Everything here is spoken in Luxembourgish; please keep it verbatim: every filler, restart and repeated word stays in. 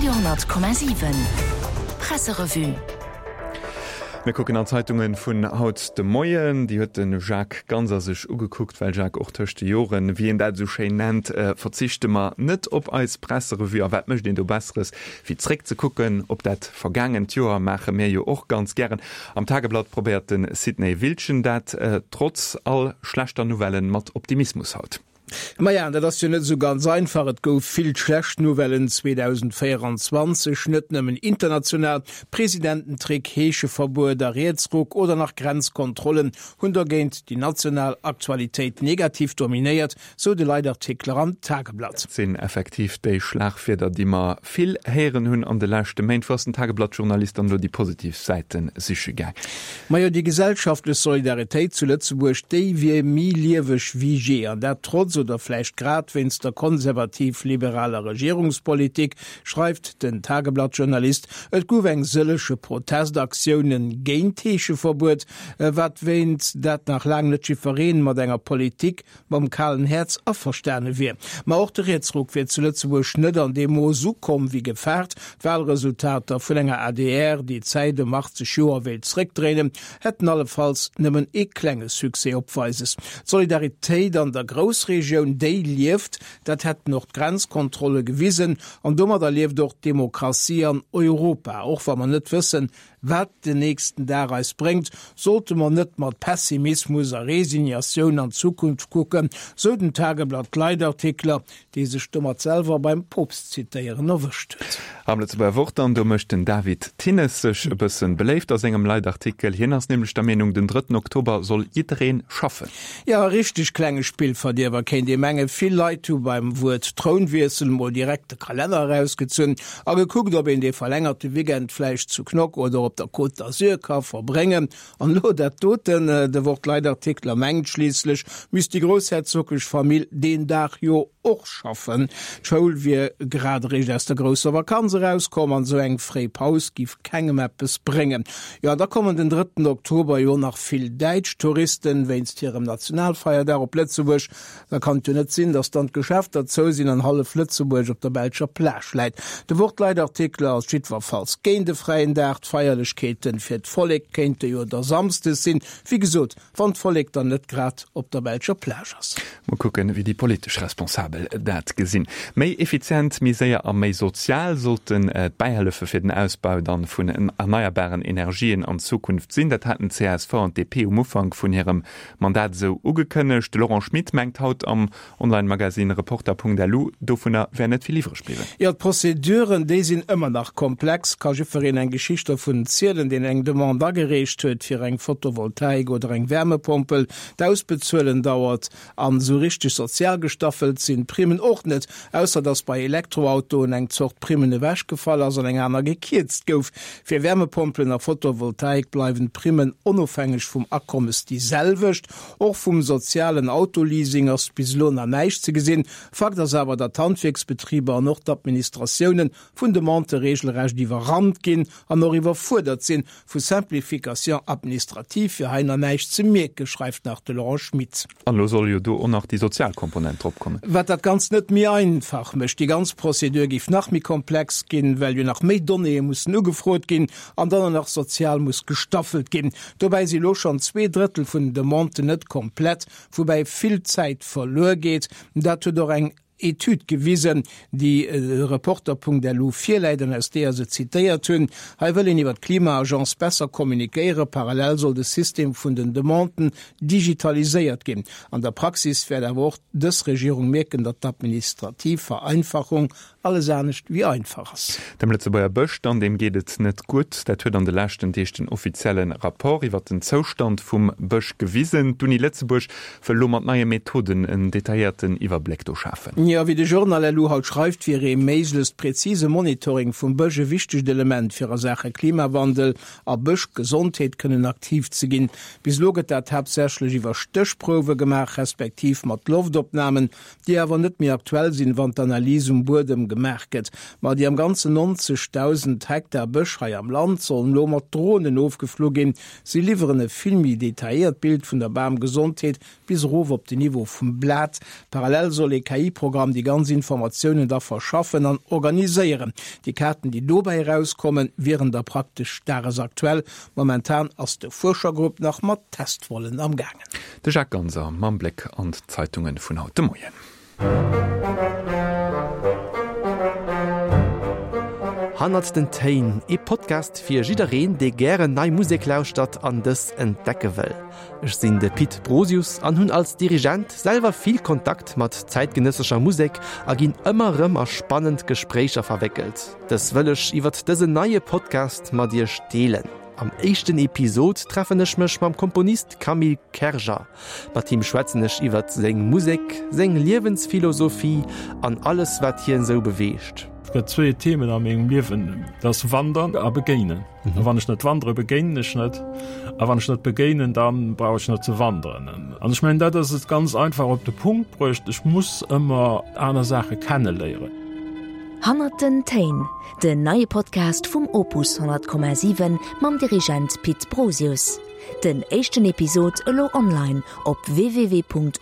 Radio honnert Komma siwen Presserevue. Mir kucken an d'Zeitunge vun haut de Moien. Déi huet de Jacques Ganser sech ugekuckt, well Jacques, och tëscht de Joren, wéi een dat esou schéin nennt, verzichte mer net op eis Presserevue. A wat mécht een do Besseres, wéi zréckzekucken op dat vergaangent Joer? Maache mir jo och ganz gären. Am Tageblatt probéiert de Sidney Wiltgen dat, trotz all schlechter Nouvellen, mat Optimismus haut. Maja, dat ass jo net esou ganz einfach. Et gouf vill schlecht Nouvellen zweedausendvéieranzwanzeg, net nëmmen international. Presidententrick, Heescheverbuet a Rietsruck oder nach Grenzkontrollen hunn dogéint déi national Aktualitéit negativ dominéiert, sou de Leitartikler am Tageblatt. Dat sinn effektiv déi Schlagwierder, déi mer vill héieren hunn an de leschte Méint. Wou ass den Tageblatt-Journalist dann elo déi positiv Säite siche gaang? Majo, déi gesellschaftlech Solidaritéit zu Lëtzebuerg, déi wier méi lieweg wéi jee, an dat trotz oder vläicht grad wéinst der konservativ-liberaler Regierungspolitik, schreift den Tageblatt-Journalist. Et gouf eng sëllege Protestaktioune géint d'Heescheverbuet, wat wéint dat nach laang net jiddweree mat enger Politik mam kalen Häerz averstane wier. Ma och de Rietsruck wier zu Lëtzebuerg net an deem Mooss ukomm wéi gefaart. D'Walresultater vun enger adr, déi d'Zäit ëm achtzeg Joer wéilt zréckdréinen, hätten allefalls nëmmen ee klenge Succès opweises. D'Solidaritéit an der Groussregioun, déi lieft, dat hätten och d'Grenzkontrolle gewisen. An domadder lieft och d'Demokratie an Europa. Och wa mer net wëssen, wat den nächsten Dag eis bréngt, sollte mer net mat Pessimismus a Resignatioun an d'Zukunft kucken, sou den Tageblatt-Leitartikler, dee sech domat selwer beim Poopst zitéieren erwëscht huet. Am Lëtzebuerger Wort dann, do mécht den David Thinnes sech e bëssen beléift a sengem Leitartikel. Hien ass nämlech der Meenung, den drëtten Oktober soll jiddereen schaffen. Jo, e richteg klenge Spillverdierwer, kéint ee mengen. Vill Leit hu beim Wuert Trounwiessel mol direkt de Kalenner erausgezunn a gekuckt, ob een dee verlängerte Weekend vläicht zu Knock oder op der Côte d'Azur ka verbréngen. An elo dat doten, de Wort-Leitartikler mengt, schliisslech misst déi groussherzoglech Famill deen Dag jo och schaffen. D'Schoul wier grad eréischt aus der grousser Vakanz erauskomm an esou eng fréi Paus giff kengem eppes bréngen. Jo, an da kommen den drëtten Oktober jo nach vill däitsch Touristen wéinst hirem Nationalfeierdag op Lëtzebuerg. Da kann et jo net sinn, datt dann d'Geschäfter zou sinn an hallef Lëtzebuerg op der belscher Plage läit. De Wort-Leitartikler ass jiddwerfalls géint e fräien Dag. D'Feierlechkeeten fir d'Vollek kéinte jo da samsdes sinn. Wéi gesot, wann d'Vollek dann net grad op der belscher Plage ass. Mol kucken, wéi déi politesch Responsabel dat gesinn. Méi effizient, méi séier a méi sozial sollten d'Bäihëllefe fir den Ausbau dann vun erneierbaren Energien an Zukunft sinn. Dat haten d'CSV an d'DP um Ufank vun hirem Mandat esou ugekënnegt. De Laurent Schmit mengt haut am Online-Magazin Reporter.lu, dovunner wär net vill iwwreg bliwwen. Jo, d'Prozeduren, déi sinn ëmmer nach komplex. Ka jiddwereen eng Geschicht dovun zielen, deen eng Demande agereecht huet fir eng Photovoltaik oder eng Wärmepompel. D'Ausbezuelen dauert an esou richteg sozial gestaffelt sinn d'Primmen och net, ausser datt bei Elektroautoen eng Zort Primmen ewechgefall ass an eng aner gekierzt gouf. Fir Wärmepompelen a Photovoltaik bleiwen d'Primmen onofhängeg vum Akommes déi selwecht. Och vum sozialen Autoleasing ass bis elo nach näischt ze gesinn. Fakt ass awer, datt d'Handwierksbetriber an och d'Administratioune vun Demandë reegelrecht iwwerrannt ginn an och iwwerfuerdert sinn. Vu Simplification administrative wier hei nach näischt ze mierken, schreift nach de Laurent Schmit. An elo soll jo do och nach déi sozial Komponent drop kommen. Wat dat Ganzt net méi einfach mécht. Déi ganz Prozedur géif nach méi komplex ginn, well jo nach méi Donnéeë mussen ugefrot ginn an dann och nach sozial muss gestaffelt ginn. Dobäi si lo schonn zwee Drëttel vun den Demanden net komplett, woubäi vill Zäit verluer geet. Dat huet och eng Etüd gewisen, déi Reporter.lu virläit an aus deeër se zitéiert hunn. Hei wëll een iwwer d'Klima-Agence besser kommunikéieren. Parallel soll de System vun den Demanden digitaliséiert ginn. An der Praxis wäert awer och dës Regierung mierken, datt d'administrativ Vereinfachung alles anescht wéi einfach ass. Dem Lëtzebuerger Bësch dann, deem geet et net gutt. Dat huet an de leschten Deeg den offizielle Rapport iwwer den Zoustand vum Bësch gewisen. D'Uni Lëtzebuerg wëll elo mat neie Methoden en detailléierten Iwwerbléck do schafen. Jo, wéi de Journal elo haut schreift, wier ee méiglechst präzise Monitoring vum Bësch e wichtegt Element, fir a Saache Klimawandel a Bëschgesondheet kënnen aktiv ze ginn. Bis elo gëtt dat haaptsächlech iwwer Stéchprouwe gemaach, respektiv mat Loftopnamen, déi awer net méi aktuell sinn, wann d'Analys um Buedem gemaach gëtt. Ma déi am Ganzen neunzegdausend Hektar Bësch hei am Land sollen elo mat Dronen ofgeflu ginn. Si liwweren e vill méi detailléiert Bild vun der Bamgesondheet, bis erof op den Niveau vum Blat. Parallel soll ee K I-Programm Computerprogramm déi ganz Informatiounen da verschaffen an organiséieren. Déi Kaarten, déi dobäi erauskommen, wieren da praktesch dagesaktuell. Momentan ass de Fuerschergrupp nach mat Testvollen am gaangen. De Jacques Ganser mam Bléck an d'Zeitunge vun haut de Moien. Hannert den Téin, ee Podcast fir jiddereen, dee gären nei Musek lauschtert an dës entdecke wëll. Ech sinn de Pit Brosius an hunn als Dirigent selwer vill Kontakt mat zäitgenëssescher Musek a ginn ëmmer erëm a spannend Gespréicher verwéckelt. Dës wëll ech iwwert dësen neie Podcast mat iech deelen. Am éischten Episod treffen ech mech mam Komponist Camille Kerger. Mat him schwätzen ech iwwert seng Musek, seng Liewensphilosophie an alles wat hien esou beweegt. Et gëtt zwee Themen a mengem Liewen, dat ass Wandern a Begéinen. A wann ech net wandere, begéinen ech net. A wann ech net begéinen, da brauch ech net ze wanderen. An ech mengen, dat ass et ganz einfach op de Punkt bruecht, Ech muss ëmmer aner Saache kenneléieren. Hannert den Téin, den neie Podcast vum Opus honnert Komma siwen mam Dirigent Pit Brosius. Den éischten Episod elo online op www.opus.radio.